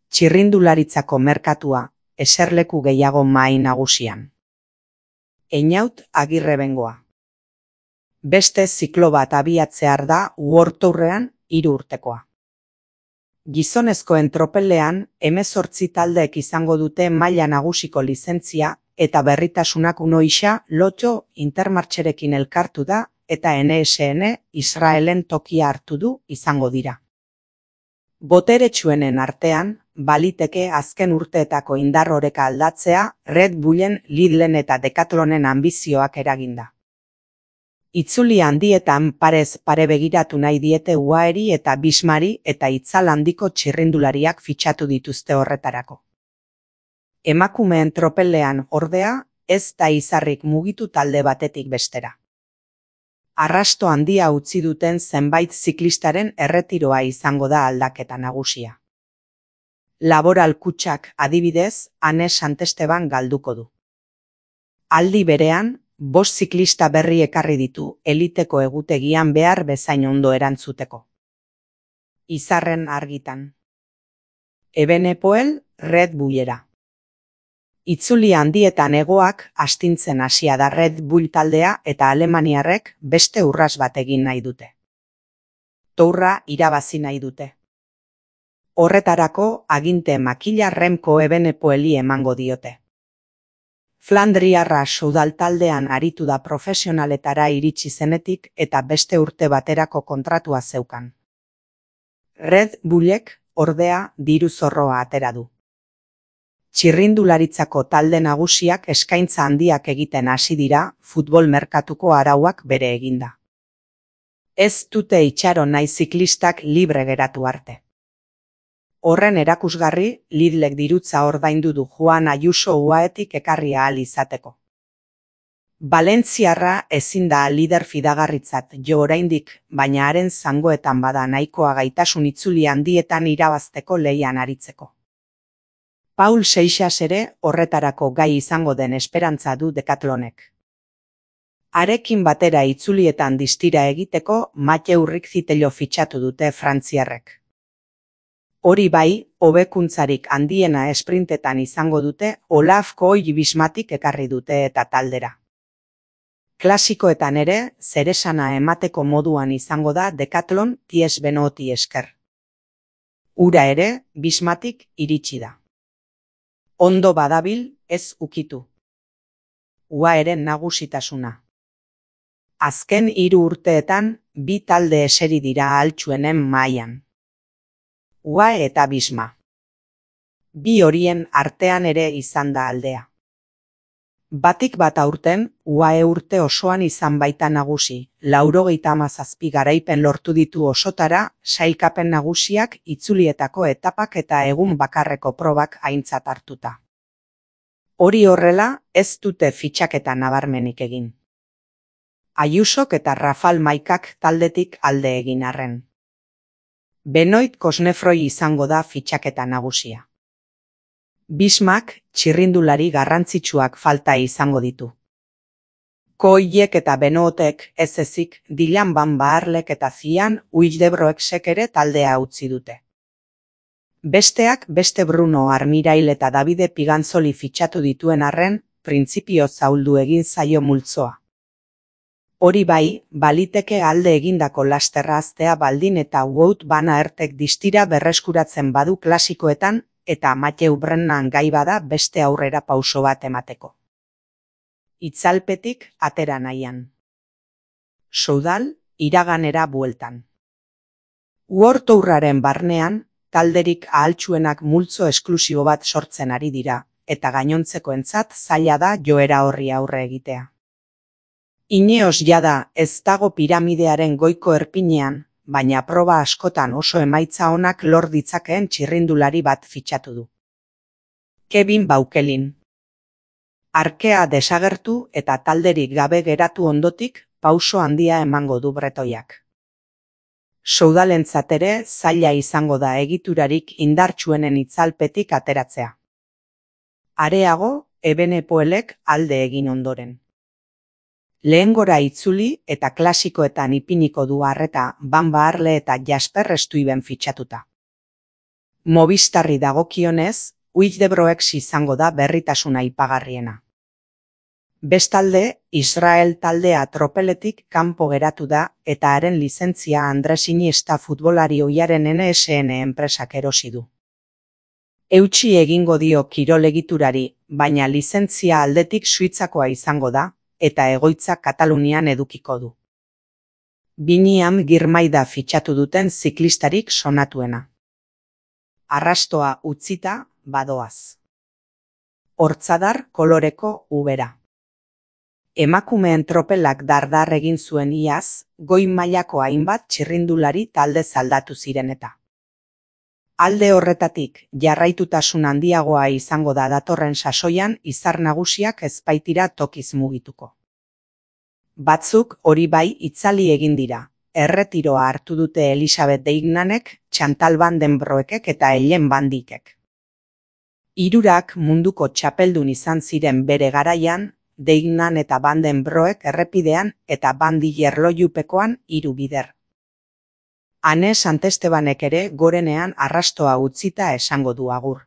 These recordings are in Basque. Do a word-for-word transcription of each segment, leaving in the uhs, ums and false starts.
Txirrindularitzako merkatua, eserleku gehiago mahai nagusian. Einaut Agirrebengoa. Beste ziklo bat abiatzear da World Tourrean hiru urtekoa. Gizonezkoen tropelean hemezortzi taldeek izango dute maila nagusiko lizentzia eta berritasunak unoixa Lotto Intermarcherekin elkartu da eta N S N Israelen tokia hartu du izango dira. Boteretsuenen artean, baliteke azken urteetako indar oreka aldatzea Red Bullen, Lidlen eta Decathlonen anbizioak eraginda. Itzuli handietan parez pare begiratu nahi diete U A E-ri eta Bismari eta itzal handiko txirrindulariak fitxatu dituzte horretarako. Emakumeen tropelean ordea, ez da izarrik mugitu talde batetik bestera. Arrasto handia utzi duten zenbait ziklistaren erretiroa izango da aldaketa nagusia. Laboral Kutxak adibidez, Ane Santesteban galduko du. Aldi berean, bost ziklista berri ekarri ditu eliteko egutegian behar bezain ondo erantzuteko. Izarren argitan. Evenepoel, Red Bullera. Itzuli handietan hegoak astintzen hasia da Red Bull taldea eta alemaniarrek beste urras bat egin nahi dute. Tourra irabazi nahi dute. Horretarako aginte makila Remco Evenepoeli emango diote. Flandriarra Soudal taldean aritu da profesionaletara iritsi zenetik eta beste urte baterako kontratua zeukan. Red Bullek, ordea, diru zorroa atera du. Txirrindularitzako talde nagusiak eskaintza handiak egiten hasi dira futbol merkatuko arauak bere eginda. Ez dute itxaron nahi ziklistak libre geratu arte. Horren erakusgarri, Lidlek dirutza ordaindu du Juan Ayuso U A E-tik ekarri ahal izateko. Valentziarra ezin da lider fidagarritzat jo oraindik, baina haren zangoetan bada nahikoa gaitasun itzuli handietan irabazteko lehian aritzeko. Paul Seixas ere horretarako gai izango den esperantza du Decathlonek. Harekin batera itzulietan distira egiteko Mathieu Rixitello fitxatu dute frantziarrek. Hori bai, hobekuntzarik handiena esprintetan izango dute Olaf Kooi-Bismatik ekarri dute eta taldera. Klasikoetan ere, zeresana emateko moduan izango da Decathlon Ties Benoti esker. Ura ere, Bismatik iritsi da. Ondo badabil, ez ukitu. U A E-ren nagusitasuna. Azken hiru urteetan, bi talde eseri dira altxuenen mailan. U A E eta Bisma. Bi horien artean ere izan da aldea. Batik bat aurten, U A E urte osoan izan baita nagusi, laurogeita hamazazpi garaipen lortu ditu osotara, sailkapen nagusiak itzulietako etapak eta egun bakarreko probak aintzat hartuta. Hori horrela, ez dute fitxaketa nabarmenik egin. Ayusok eta Rafal Maikak taldetik alde egin arren. Benoit Kosnefroi izango da fitxaketa nagusia. Bismak txirrindulari garrantzitsuak falta izango ditu. Koiek eta Benotek ez ezik Dylan Van Baarlek eta Zian Uildebroeksek ere taldea utzi dute. Besteak beste Bruno Armirail eta Davide Piganzoli fitxatu dituen arren, printzipio zauldu egin zaio multzoa. Hori bai, baliteke alde egindako lasterra aztea baldin eta Wout van Aertek distira berreskuratzen badu klasikoetan eta Mathieu Brennan gai bada beste aurrera pauso bat emateko. Itzalpetik atera nahian. Soudal, iraganera bueltan. World Tourraren barnean, talderik ahaltsuenak multzo esklusibo bat sortzen ari dira, eta gainontzekoentzat zaila da joera horri aurre egitea. Ineos jada ez dago piramidearen goiko erpinean, baina proba askotan oso emaitza onak lor ditzakeen txirrindulari bat fitxatu du. Kevin Baukelin. Arkea desagertu eta talderik gabe geratu ondotik pauso handia emango du bretoiak. Soudalentzat ere zaila izango da egiturarik indartsuenen itzalpetik ateratzea. Areago, Evenepoelek alde egin ondoren. Lehengora itzuli eta klasikoetan ipiniko du arreta Van Baarle eta Jasper Stuyven fitxatuta. Movistarri dagokionez, Wildebroeks izango da berritasuna aipagarriena. Bestalde, Israel taldea tropeletik kanpo geratu da eta haren lizentzia Andres Iniesta futbolari ohiaren N S N enpresak erosi du. Eutsi egingo dio kirol egiturari, baina lizentzia aldetik Suitzakoa izango da, eta egoitza Katalunian edukiko du. Biniam Girmaida fitxatu duten ziklistarik sonatuena. Arrastoa utzita, badoaz. Hortzadar koloreko ubera. Emakumeen tropelak dardar egin zuen iaz, goi mailako hainbat txirrindulari talde zaldatu ziren eta. Alde horretatik, jarraitutasun handiagoa izango da datorren sasoian izar nagusiak ez baitira tokiz mugituko. Batzuk hori bai itzali egin dira, erretiroa hartu dute Elisabeth Deignanek, Chantal van den Broekek eta Ellen van Dijkek. Hirurak munduko txapeldun izan ziren bere garaian, Deignan eta Van den Broek errepidean eta Van Dijk erlojupekoan hiru bider. Ane Santestebanek ere gorenean arrastoa utzita esango du agur.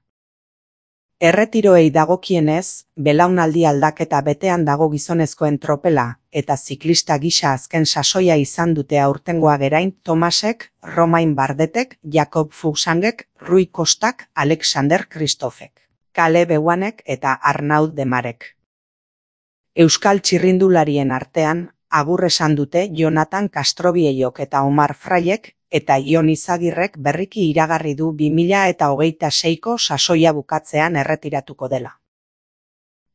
Erretiroei dagokienez, belaunaldi aldaketa betean dago gizonezkoen tropela eta ziklista gisa azken sasoia izan dute aurtengoa gerain Tomasek, Romain Bardetek, Jakob Fuglsangek, Rui Costak, Alexander Kristofek, Caleb Ewanek eta Arnaud Demarek. Euskal txirrindularien artean, agur esan dute Jonathan Castrobiellok eta Omar Fraiek eta Jon Izagirrek berriki iragarri du bi mila eta hogeita seiko sasoia bukatzean erretiratuko dela.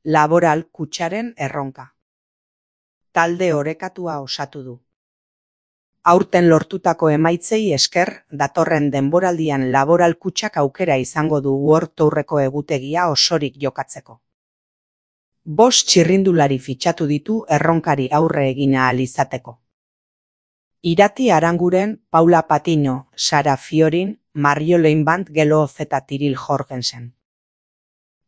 Laboral Kutxaren erronka. Talde orekatua osatu du. Aurten lortutako emaitzei esker, datorren denboraldian Laboral Kutxak aukera izango du World Tourreko egutegia osorik jokatzeko. Bost txirrindulari fitxatu ditu erronkari aurre egin ahal izateko. Irati Aranguren, Paula Patino, Sara Fiorin, Mario Leinband Geloz eta Tiril Jorgensen.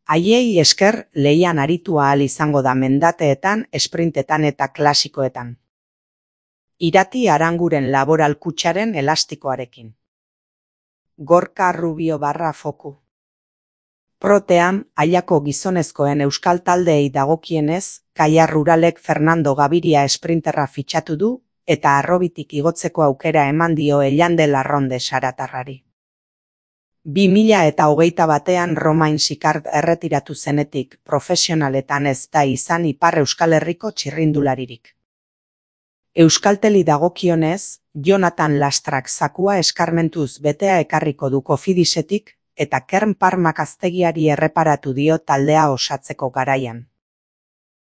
Haiei esker lehian aritu ahal izango da mendateetan, esprintetan eta klasikoetan. Irati Aranguren Laboral Kutxaren elastikoarekin. Gorka Rubio barra foku. Protean, Aiako gizonezkoen euskal taldeei dagokienez, Kaia Ruralek Fernando Gaviria esprinterra fitxatu du, eta arrobitik igotzeko aukera eman dio Ellande Larronde saratarrari. Bi mila eta hogeita batean Romain Sicard erretiratu zenetik profesionaletan ez da izan Ipar Euskal Herriko txirrindularirik. Euskalteli dagokionez, Jonathan Lastrak zakua eskarmentuz betea ekarriko du Kofidisetik, eta Kern Parmak aztegiari erreparatu dio taldea osatzeko garaian.